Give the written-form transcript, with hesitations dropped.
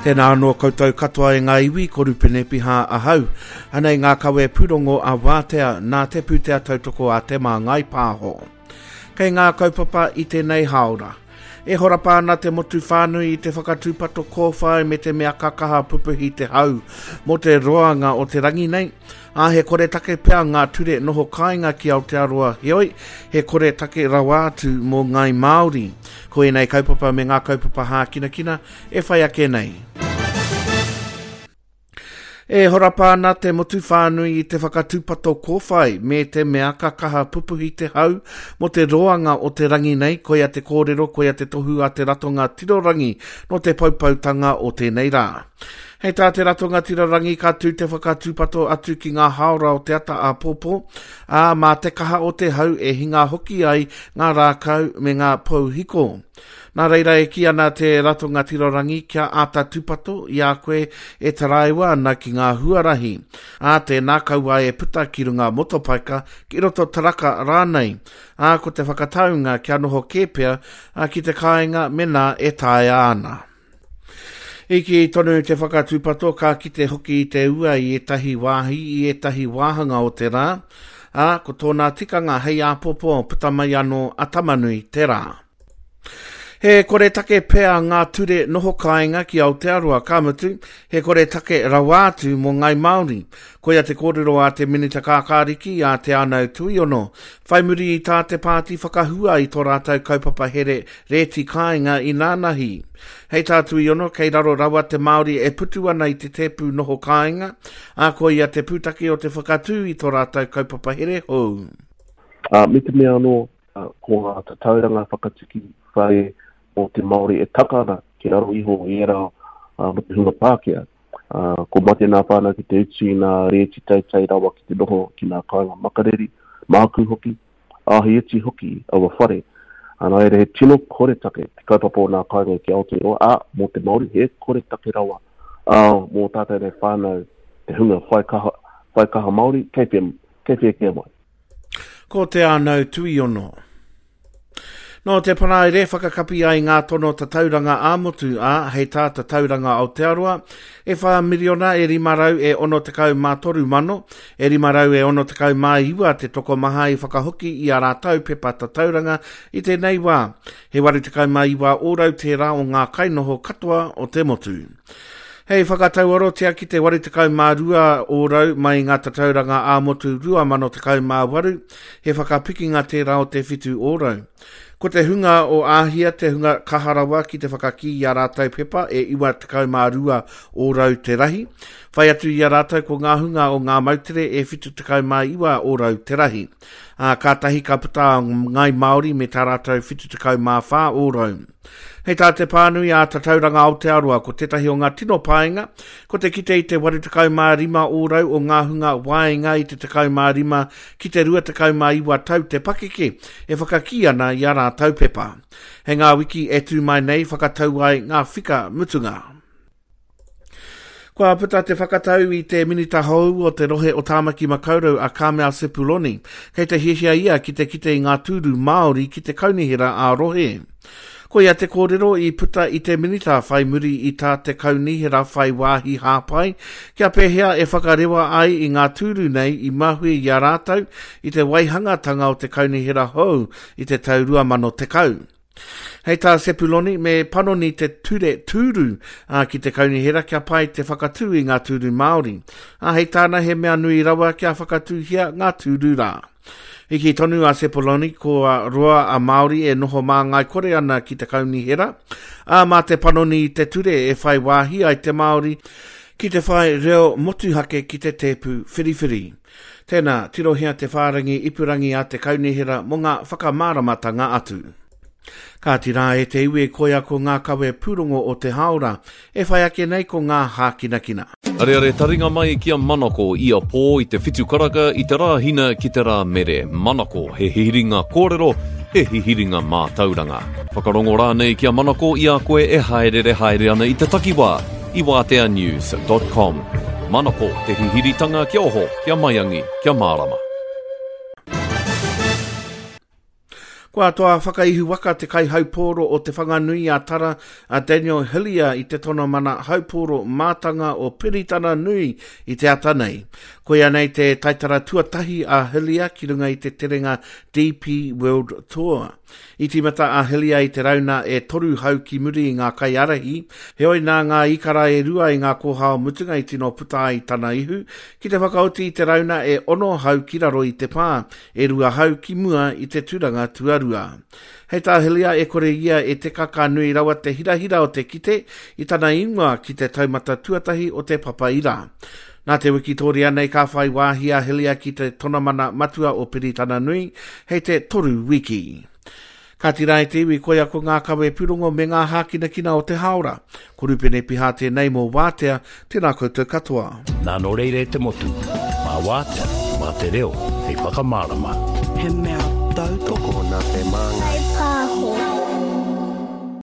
Tēnā anō koutou katoa e ngā iwi, ko Rupene Piha ahau. Anei ngā kawe pūrongo a Wātea nā te pūtea tautoko a Te Māngai Pāho. Kei ngā kaupapa i tēnei hāora. E horapa ana te motu whānui i te whakatūpato kōwhai me te mea ka kaha pupuhi te hau mō te roanga o te rangi nei, ā, he koretake pea ngā ture noho kāinga ki Aotearoa, heoi, he koretake rawa atu mō Ngāi Māori. Ko ēnei kaupapa me ngā kaupapa hākinakina e whai ake nei. E horapa ana te motu whānui i te whakatūpato kōwhai me te mea ka kaha pupuhi te hau mō te roanga o te rangi nei, koia te kōrero, koia te tohu a te Ratonga Tirorangi nō te poupoutanga o tēnei rā. Hei tā te Ratonga Tirorangi ka tū te whakatūpato atu ki ngā hāora o te ata āpōpō, ā, mā te kaha o te hau e hinga hoki ai ngā rākau me ngā pou hiko. Nā reira e kī ana te Ratonga Tirorangi kia āta tūpato i a koe e taraiwa ana ki ngā huarahi. Ā, tēnā kaua e puta ki runga motopaika, ki roto taraka rānei. Ā, ko te whakataunga kia noho kē pea ki te kāinga menā e taea ana. I kī tonu te whakatūpato ka kite hoki i te ua i ētahi wāhi, i ētahi wāhanga o te rā, ā, ko tōna tikanga hei āpōpō puta mai anō a Tamanui te rā. He koretake pea ngā ture noho kāinga ki Aotearoa, ka mutu, he koretake rawa atu mō Ngāi Māori. Koia te kōrero a te Minita Kākāriki, a Te Anau Tuiono, whai muri i tā te pāti whakahua i tō rātou kaupapa here rēti kāinga inānahi. Hei tā Tuiono, kei raro rawa te Māori e putu ana i te tēpu noho kāinga, ā, koia te pūtake o te whakatū i tō rātou kaupapa here hou. Ā, me te mea anō, ko ngā tatauranga whakatuki whare mō te Māori e taka ana ki raro iho i ērā mō te hunga Pākehā. Ko mate nā whānau ki te utu i ngā rēti teitei rawa ki te noho ki ngā kāinga makariri, mākū hoki, ā, he iti hoki aua whare. Nā reira, he tino koretake te kaupapa o ngā kāinga ki Aotearoa, ā, mō te Māori, he koretake rawa, ā, mō tātou nei whānau, te hunga whai kaha, whai kaha Māori, kei whea, kei whea kē mai. Ko Te Ānau Tuiono. Nō te Paraire whakakapi ai ngā tono tatauranga ā-motu, ā, hei tā Tatauranga Aotearoa, e whā miriona e 563 mano, e 569 te tokomaha i whakahoki i ā rātou pepa tatauranga i tēnei wā. He 89 ōrau tērā o ngā kainoho katoa o te motu. Hei whakatauarotia ki te 82 ōrau mai i ngā tatauranga ā-motu 2018, he whakapikinga tērā o te 7 ōrau. Ko te hunga o Āhia te hunga kaha rawa ki te whakakī i ā rātou pepa e 92 ōrau te rahi. Whai atu i a rātou ko ngā hunga o ngā moutere e 79 ōrau te rahi. Ā, kātahi ka puta a Ngāi Māori me tā rātou 74 ōrau. Hei tā te pānui a Tatauranga Aotearoa, ko tētahi o ngā tino painga, ko te kite i te 85 ōrau o ngā hunga waenga i te 15 ki te 29 tau te pakeke e whakakī ana i ā rātou pepa. Hei ngā wiki e tū mai nei whakatau ai ngā whika mutunga. Kua puta te whakatau i te Minita hou o te rohe o Tāmaki Makaurau a Carmel Sepuloni. Kei te hiahia ia ki te kite i ngā tūru Māori ki te kaunihera ā-rohe. Koia te kōrero i puta i te Minita whai muri i tā te kaunihera whai wāhi hāpai kia pēhea e whakarewa ai i ngā tūru nei i mahue i a rātou i te waihangatanga o te kaunihera hou i te tau 2010. Hei tā Sepuloni, me panoni te ture tūru ā, ki te kaunihera kia pai te whakatū i ngā tūru Māori. Ā, hei tāna he mea nui rawa kia whakatūhia ngā tūru rā. I kī tonu a Sepuloni kua roa a Māori e noho māngai kore ana ki te kaunihera, ā, mā te panoni i te ture e whai wāhi ai te Māori ki te whai reo motuhake ki te tēpu whiriwhiri. Tēnā, tirohia te whārangi ipurangi a te Kaunihera mō ngā whakamāramatanga atu. Kāti rā e te iwi koia ko ngā kawe pūrongo o te hāora, e whai ake nei ko ngā hākinakina. Areare taringa mai ki a Manako ia pō i te whitu karaka i te Rāhina ki te Rāmere. Manako, he hihiringa kōrero, he hihiringa mātauranga. Whakarongo rānei ki a Manako i a koe e hāereere haere ana i te takiwā. i wāteanews dot com. Manako, te hihiritanga kia oho, kia maiangi, kia mārama. Kua toa whakaihuwaka te kaihaupōro o Te Whanganui a Tara a Daniel Hillier i te tonomana haupōro mātanga o Piritana Nui i te ata nei. Koia nei te taitara tuatahi a Hillier ki runga i te terenga DP World Tour. I tīmata a Hillier i te rauna e toru hau ki muri i ngā kaiārahi, heoi nā ngā ikara e rua i ngā kōhao mutunga i tino puta ai tana ihu, ki te whakaoti i te rauna e ono hau ki raro i te pā, e rua hau ki mua i te turanga tuarua. Hei tā Hillier e kore ia e teka ka nui rawa te hirahira o te kite i tana ingoa ki te taumata tuatahi o te papa ira. Nā te wikitōria nei ka whai wāhi a Hillier ki te tonamana matua o Piritana Nui hei te toru wiki. Kāti rā e te iwi, koia ko ngā kawe pūrongo me ngā hākinakina o te hāora. Ko Rupene Piha tēnei mō Wātea, tēnā koutou katoa. Nā nō reira e te motu, mā Wātea, mā te reo hei whakamārama. He mea tautoko. Tokona te māngai.